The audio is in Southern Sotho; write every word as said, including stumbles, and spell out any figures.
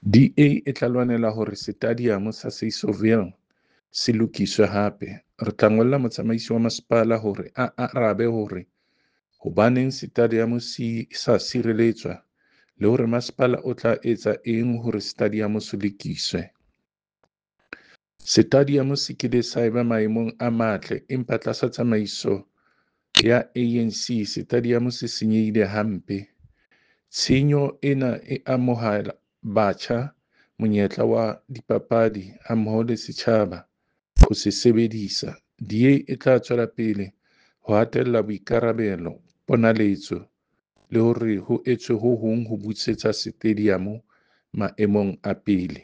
D A e tla lwanela hore Setadiamo sa Sasolville se lokiswe hape. Re tla ngolla motsamaisi wa masepala hore a arabe hore hobaneng setadiamo se sa sireletswa le hore masepala o tla etsa eng hore setadiamo se lokiswe. Setadiamo se kile sa eba maemong a matle empa tlasa tsamaiso ya A N C setadiamo se senyehile hampe. Tshenyo ena e amoha batjha monyetla wa dipapadi hammoho le setjhaba ho se sebedisa. D A e tla tswela pele ho hatella boikarabelo, ponaletso le hore ho etswe ho hong ho busetsa setadiamo maemong a pele.